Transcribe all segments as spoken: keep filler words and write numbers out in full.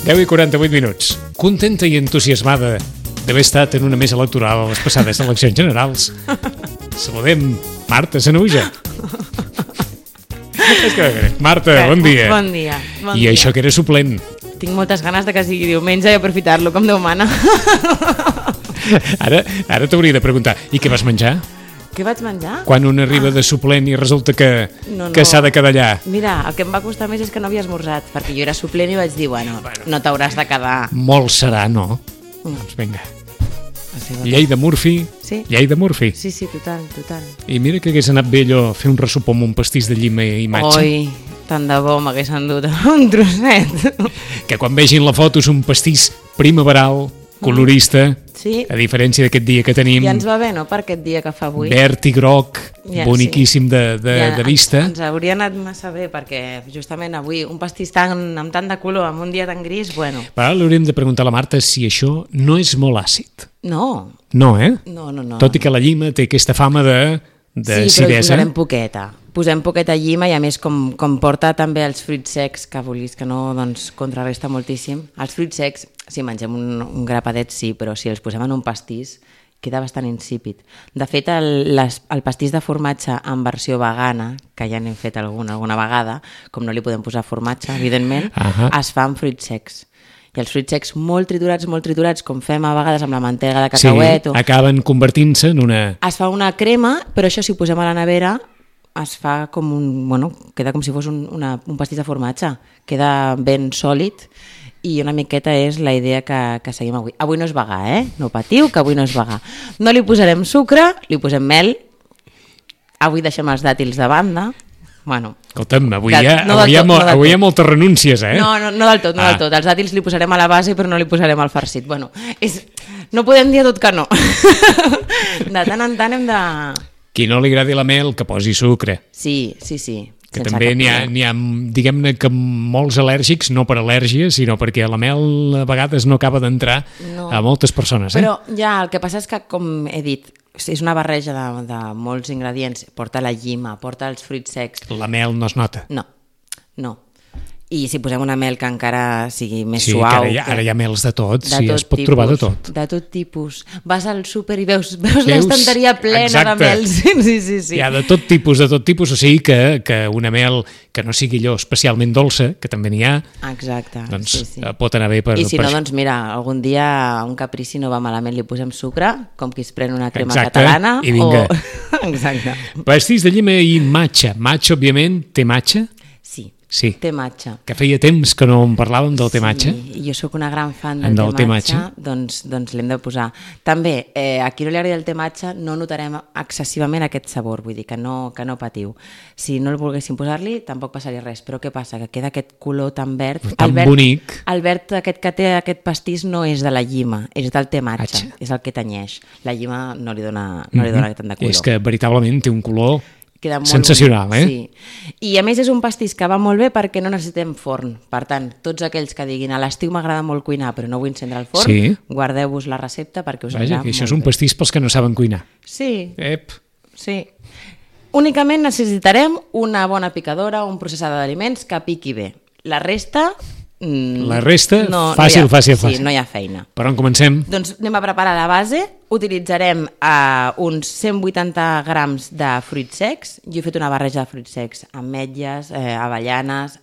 deu i quaranta-vuit minuts. Contenta i entusiasmada d'haver estat en una mesa electoral a les passades eleccions generals. Saludem Marta Sanahuja. És que, Marta, bon dia. Bon dia. Bon I dia. això que era suplent. Tinc moltes ganes de que sigui diumenge i aprofitar-lo com Déu mana. Ara, ara t'hauria de preguntar, i què vas menjar? Què vaig menjar? Quan un arriba de suplent i resulta que, No, no. que s'ha de quedar allà. Mira, el que em va costar més és que no havia esmorzat, perquè jo era suplent i vaig dir, bueno, Bueno. no t'hauràs de quedar. Molt serà, no? Mm. Doncs vinga. Sí, Llei de Murphy, Sí. llei de Murphy. Sí, sí, total, total. I mira que hagués anat bé allò fer un ressupó amb un pastís de llima i matxa. Oi, tant de bo m'hagués endut un trosset. Que quan vegin la foto és un pastís primaveral, colorista, Sí, a diferència d'aquest dia que tenim, ja ens va bé, no?, per aquest dia que fa avui. verd i groc, Ja, boniquíssim de, de, Ja, de vista. Ens, ens hauria anat massa bé, perquè justament avui un pastís tan, amb tant de color, amb un dia tan gris, bueno, Però ara l'hauríem de preguntar a la Marta si això no és molt àcid. no, No, eh? no, no. no. Tot i que la llima té aquesta fama de, de sí, però hi acidesa. posarem poqueta. Posem poqueta llima i a més com, com porta també els fruits secs, que vulguis que no, doncs contrarresta moltíssim. Els fruits secs, si mengem un, un grapadet sí, però si els posem en un pastís queda bastant insípid. De fet, el, les, el pastís de formatge en versió vegana, que ja n'hem fet alguna, alguna vegada, com no li podem posar formatge, evidentment, Ahà. es fa amb fruits secs. I els fruits secs molt triturats, molt triturats, com fem a vegades amb la mantega de Sí, cacauet. o... acaben convertint-se en una... Es fa una crema, però això si ho posem a la nevera es fa com un... Bueno, queda com si fos un, una, un pastís de formatge. Queda ben sòlid i una miqueta és la idea que, que seguim avui. Avui no és vegà, eh? No patiu, que avui no és vegà. No li posarem sucre, li posem mel. Avui deixem els dàtils de banda. Bueno, Escolta'm, avui, De- hi ha, no del avui, hi ha, tot, mo- no del avui hi ha tot. moltes renúncies, eh? no, no, no del tot, no Ah. del tot. Els dàtils li posarem a la base, però no li posarem al farcit. Bueno, és... no podem dir a tot que no. De tant en tant hem de... Qui no li agradi la mel, que posi sucre. Sí, sí, sí. Que sense també cap n'hi ha, problema. n'hi ha diguem-ne que molts al·lèrgics, no per al·lèrgia, sinó perquè la mel a vegades no acaba d'entrar No. a moltes persones. Eh? Però ja, el que passa és que, com he dit, és una barreja de, de molts ingredients. Porta la llima, porta els fruits secs. La mel no es nota. No, no. I si posem una mel que encara sigui més Sí, suau... que ara hi ha, que- ara hi ha mels de tot, de sí, tot es pot tipus, trobar de tot. De tot tipus. Vas al súper i veus, veus, Veus? l'estanteria plena Exacte. de mel. Sí, sí, sí. sí. Hi ha de tot tipus, de tot tipus, o sigui que, que una mel que no sigui allò especialment dolça, que també n'hi ha, Exacte, doncs sí, sí. eh, pot anar bé per, I si per no, això. doncs mira, algun dia un caprici no va malament, li posem sucre, com qui es pren una crema Exacte, catalana. i vinga. O... Exacte. Pastís de llima i matxa. Matxa, òbviament, té matxa? Sí, Sí. té matxa. Que feia temps que no en parlàvem del té matxa. Sí, i jo sóc una gran fan En del, del té té matxa, matxa. doncs, doncs l'hem de posar. També, eh, a qui no li agradi el té matxa no notarem excessivament aquest sabor, vull dir que no, que no patiu. Si no el volguéssim posar-li, tampoc passaria res, però què passa? Que queda aquest color tan verd. Tan el verd, bonic. El verd aquest que té aquest pastís no és de la llima, és del té matxa, Matxa. és el que tenyeix. La llima no li dona, no li dona tant de color. És que veritablement té un color Queda molt sensacional, bonic, eh? Sí. I a més és un pastís que va molt bé perquè no necessitem forn. Per tant, tots aquells que diguin a l'estiu m'agrada molt cuinar però no vull encendre el forn, Sí. guardeu-vos la recepta perquè us Vaja, anirà que això molt és un bé. pastís pels que no saben cuinar. Sí, Ep. sí. Únicament necessitarem una bona picadora, un processador d'aliments que piqui bé. La resta... mm, La resta, no, fàcil, no hi ha, fàcil, sí, fàcil. no hi ha feina. Per on comencem? Doncs anem a preparar la base. Utilitzarem uh, uns cent vuitanta grams de fruits secs. Jo he fet una barreja de fruits secs, ametlles, eh, avellanes...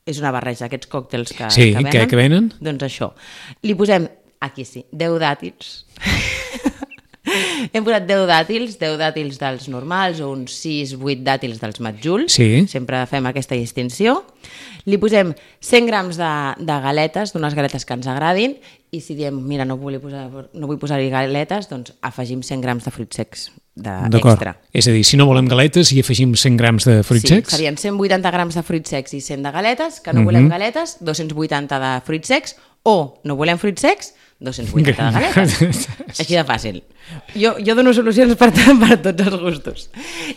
És una barreja, aquests còctels que, Sí, que, que- que venen. Doncs això. Li posem, aquí sí, deu dàtils. Hem posat deu dàtils, deu dàtils dels normals o uns sis vuit dàtils dels matjuls. Sí. Sempre fem aquesta distinció. Li posem cent grams de, de galetes, d'unes galetes que ens agradin, i si diem, mira, no vull posar, no vull posar-hi galetes, doncs afegim cent grams de fruits secs de D'acord. extra. És a dir, si no volem galetes i afegim cent grams de fruits Sí, secs, serien cent vuitanta grams de fruits secs i cent de galetes, que no volem galetes, dos-cents vuitanta de fruits secs, o no volem fruits secs, dos-cents vuitanta de galetes. Així de fàcil. Jo, jo dono solucions per, per tots els gustos.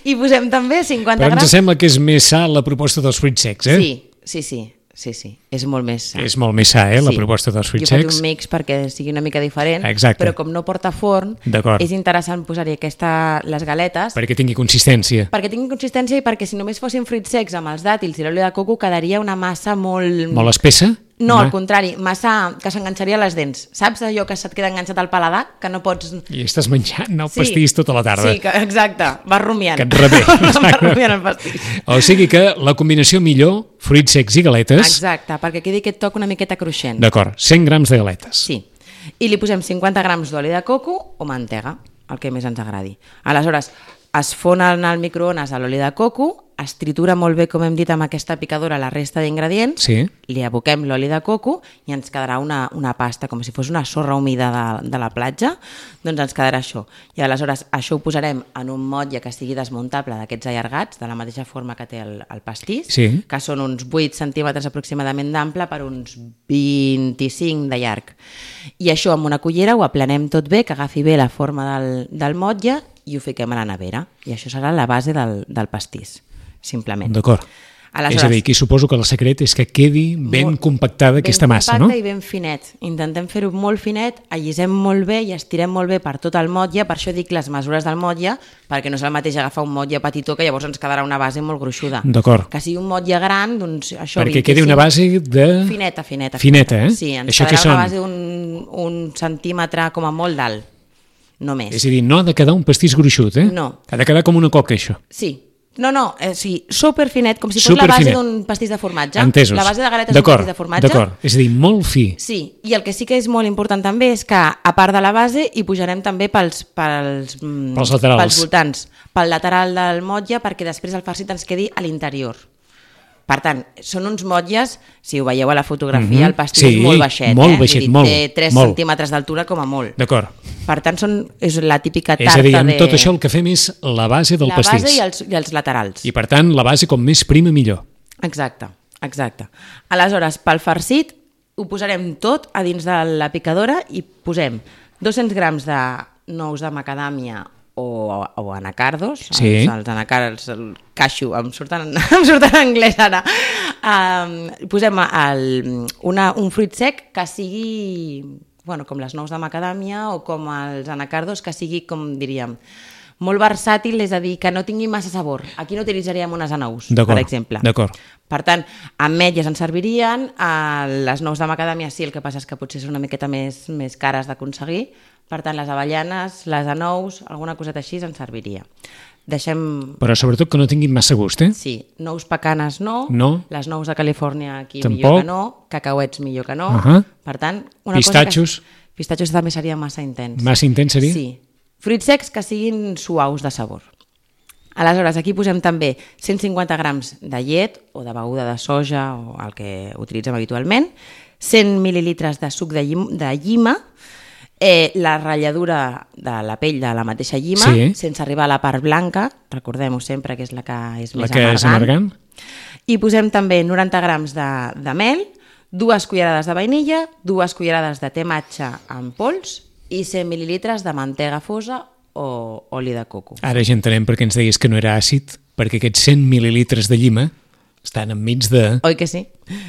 I posem també cinquanta però ens grams... sembla que és més sa la proposta dels fruits secs, eh? Sí, sí, sí, sí, sí. És molt més sa. És molt més sa, eh, la Sí. proposta dels fruits Jo faig secs. un mix perquè sigui una mica diferent, Exacte. però com no porta forn, D'acord. és interessant posar-hi aquesta, les galetes Perquè tingui consistència. perquè tingui consistència i perquè si només fossin fruits secs amb els dàtils i l'oli de coco quedaria una massa molt... Molt espessa? No, Ma- al contrari, massa que s'enganxaria a les dents. Saps allò que se't queda enganxat al paladar, que no pots... I estàs menjant el pastís tota la tarda. Sí, que, exacte, vas rumiant. Que et revé. Vas rumiant el pastís. O sigui que la combinació millor, fruits secs i galetes. Exacte, perquè quedi aquest toc una miqueta cruixent. D'acord, cent grams de galetes. Sí. I li posem cinquanta grams d'oli de coco o mantega, el que més ens agradi. Aleshores, es fon al microones a l'oli de coco, es tritura molt bé, com hem dit, amb aquesta picadora la resta d'ingredients, Sí. li aboquem l'oli de coco i ens quedarà una, una pasta, com si fos una sorra humida de, de la platja, doncs ens quedarà això. I aleshores això ho posarem en un motlle que sigui desmuntable d'aquests allargats, de la mateixa forma que té el, el pastís, Sí. que són uns vuit centímetres aproximadament d'ample per uns vint-i-cinc de llarg. I això amb una cullera ho aplanem tot bé, que agafi bé la forma del, del motlle i ho fiquem a la nevera. I això serà la base del, del pastís, simplement. D'acord. Aleshores, És a dir, aquí suposo que el secret és que quedi ben molt- compactada aquesta massa, no? Ben compacte i ben finet. Intentem fer-ho molt finet, allisem molt bé i estirem molt bé per tot el motlle, per això dic les mesures del motlle, perquè no és el mateix agafar un motlle petitó que llavors ens quedarà una base molt gruixuda. D'acord. Que sigui un motlle gran, doncs això... Perquè vint-i-cinc quedi una base de... Fineta, fineta. Fineta, eh? Sí, ens Això quedarà què són? una base d'un un centímetre com a molt d'alt, només. És a dir, no ha de quedar un pastís gruixut, eh? No. Ha de quedar com una coca, això. Sí. No, no, eh, sí, superfinet, com si fos la Superfinet. base d'un pastís de formatge. Entesos. La base de galetes d'un D'acord, pastís de formatge. d'acord. És a dir, molt fi. Sí, i el que sí que és molt important també és que, a part de la base, hi pujarem també pels, pels, mm, Pels laterals. pels voltants, pel lateral del motlle, perquè després el farcit ens quedi a l'interior. Per tant, són uns motlles, si ho veieu a la fotografia, Mhm. el pastís Sí, és molt baixet. molt eh? Vull baixet, dir, molt, té tres molt. centímetres d'altura com a molt. D'acord. Per tant, són, és la típica tarta És a dir, amb de... tot això el que fem és la base del la pastís. base i els, i els laterals. I per tant, la base com més prima millor. Exacte, exacte. Aleshores, pel farcit ho posarem tot a dins de la picadora i posem dos-cents grams de nous de macadàmia o, o anacardos, Sí. els, els anacards, el cashew, em surten, em surten en anglès ara. Um, posem el, una, un fruit sec que sigui, bueno, com les nous de macadàmia o com els anacardos, que sigui, com diríem, molt versàtil, és a dir, que no tingui massa sabor. Aquí no utilitzaríem unes anous, per D'acord, exemple. d'acord. Per tant, ametlles ens servirien, eh, les nous de macadàmia sí, el que passa és que potser són una miqueta més, més cares d'aconseguir, per tant, les avellanes, les anous, alguna coseta així ens serviria. Deixem... Però sobretot que no tinguin massa gust, eh? Sí, nous pecanes no, No. les nous de Califòrnia aquí Tampoc. millor que no, cacauets millor que no, Ahà. per tant... Una Pistatxos. Cosa que... Pistatxos també seria massa intens. Massa intens seria? Sí. Fruits secs que siguin suaus de sabor. Aleshores, aquí posem també cent cinquanta grams de llet o de beguda de soja o el que utilitzem habitualment, cent mil·lilitres de suc de, llim, de llima, eh, la ratlladura de la pell de la mateixa llima, Sí. sense arribar a la part blanca, recordem-ho sempre que és la que és La més que és amargant. I posem també noranta grams de, de mel, dues cullerades de vainilla, dues cullerades de te matxa en pols i cent mil·lilitres de mantega fosa o oli de coco. Ara ja entenem per què ens deies que no era àcid, perquè aquests cent mil·lilitres de llima estan enmig de... Oi que sí?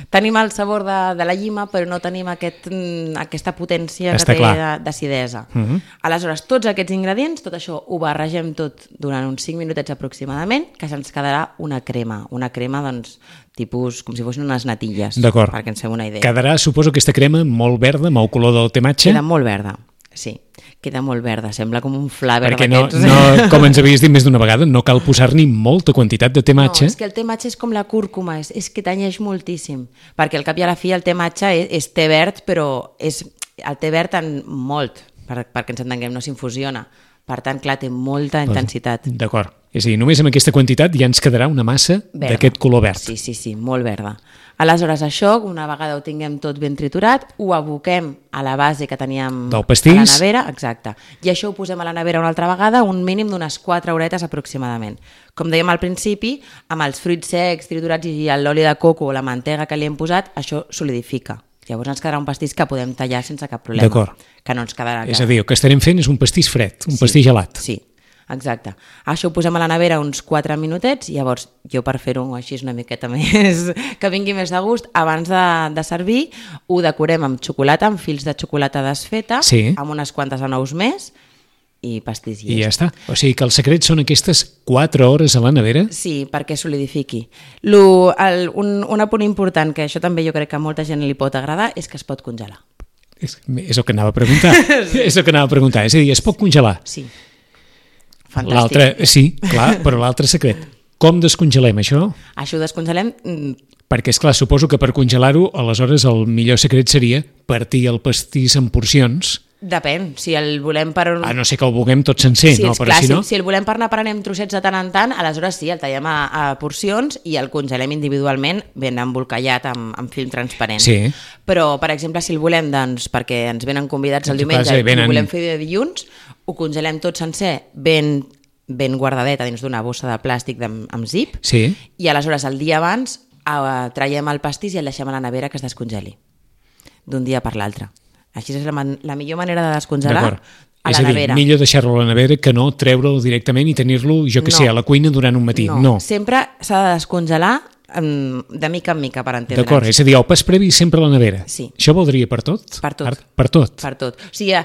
Tenim el sabor de, de la llima, però no tenim aquest, mm, aquesta potència Està que té clar. de- d'acidesa. Uh -huh. Aleshores, tots aquests ingredients, tot això ho barregem tot durant uns cinc minutets aproximadament, que se'ns quedarà una crema. Una crema, doncs, tipus com si fossin unes natilles, D'acord. perquè ens fem una idea. Quedarà, suposo, aquesta crema molt verda, amb el color del tematge, Queda molt verda, sí. Queda molt verda, sembla com un flaver perquè no, d'aquests. no, com ens havies dit més d'una vegada, no cal posar-ni molta quantitat de No, tematge. és que el te matxa és com la cúrcuma, és, és que tanyeix moltíssim, perquè al cap i a la fi el te matxa és, és te verd, però és el te verd en molt, per, perquè ens entenguem, no s'infusiona. Per tant, clar, té molta intensitat. D'acord. És a dir, només amb aquesta quantitat ja ens quedarà una massa Verda. d'aquest color verd. Sí, sí, sí, molt verda. Aleshores, això, una vegada ho tinguem tot ben triturat, ho aboquem a la base que teníem Del pastís. a la nevera, exacte. I això ho posem a la nevera una altra vegada, un mínim d'unes quatre horetes aproximadament. Com dèiem al principi, amb els fruits secs triturats i l'oli de coco o la mantega que li hem posat, això solidifica. Llavors ens quedarà un pastís que podem tallar sense cap problema. D'acord. Que no ens quedarà... És a dir, el que estarem fent és un pastís fred, un pastís gelat. Sí, exacte. Això ho posem a la nevera uns quatre minutets i llavors jo per fer-ho així una miqueta més, que vingui més de gust, abans de, de servir ho decorem amb xocolata, amb fils de xocolata desfeta, Sí. amb unes quantes anous més i pastís I ja està. O sigui que el secret són aquestes quatre hores a la nevera? Sí, perquè solidifiqui. Lo, el, un, un apunt important, que això també jo crec que a molta gent li pot agradar, és que es pot congelar. És, és el que anava a preguntar. Sí. És el que anava a preguntar. És a dir, es pot congelar? Sí. Fantàstic. L'altre, sí, clar, però l'altre secret. Com descongelem això? Això ho descongelem... Perquè, és clar, suposo que per congelar-ho, aleshores el millor secret seria partir el pastís en porcions. Depèn, si el volem per... A no ser que el vulguem tot sencer, sí, no? Però clar, si no... Si, si el volem per anar prenent trossets de tant en tant, aleshores sí, el tallem a, a porcions i el congelem individualment ben embolcallat amb, amb film transparent. Sí. Però, per exemple, si el volem, doncs, perquè ens venen convidats el diumenge i venen... el volem fer de dilluns, ho congelem tot sencer ben, ben guardadet dins d'una bossa de plàstic amb, amb zip, sí. I aleshores el dia abans Uh, traiem el pastís i el deixem a la nevera que es descongeli d'un dia per l'altre. Així és la, man la millor manera de descongelar a la és a dir, nevera. Millor deixar-lo a la nevera que no treure'l directament i tenir-lo, jo que no. sé, a la cuina durant un matí. No, no. Sempre s'ha de descongelar um, de mica en mica, per entendre'ns. D'acord, és a dir, el pas previ sempre a la nevera. Sí. Això voldria per tot? Per tot. Per, per tot. Per tot. O sigui,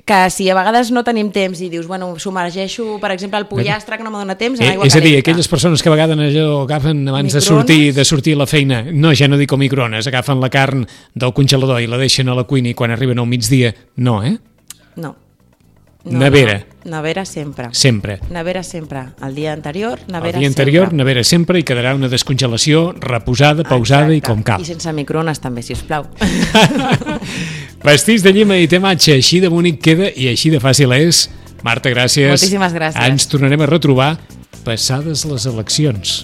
que si a vegades no tenim temps i dius, bueno, submergeixo, per exemple, el pollastre, que no me dona temps, en aigua calenta. És a dir, calenta. aquelles persones que a vegades allò agafen abans de sortir, de sortir a la feina, no, ja no dic com microones, agafen la carn del congelador i la deixen a la cuina i quan arriben al migdia, no, eh? No. no nevera. No. Nevera sempre. Sempre. Nevera sempre. El dia anterior, nevera sempre. El dia anterior, sempre. nevera sempre, i quedarà una descongelació reposada, pausada Exacte. i com cal. I sense microones també, si us plau. Pastís de llima i tematge, així de bonic queda i així de fàcil és. Marta, gràcies. Moltíssimes gràcies. Ens tornarem a retrobar passades les eleccions,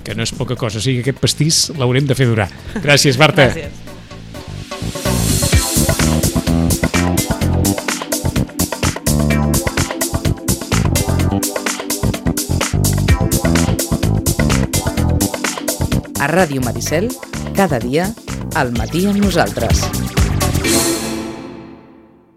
que no és poca cosa, o sigui que aquest pastís l'haurem de fer durar. Gràcies, Marta. Gràcies. A Ràdio Maricel, cada dia, al matí amb nosaltres.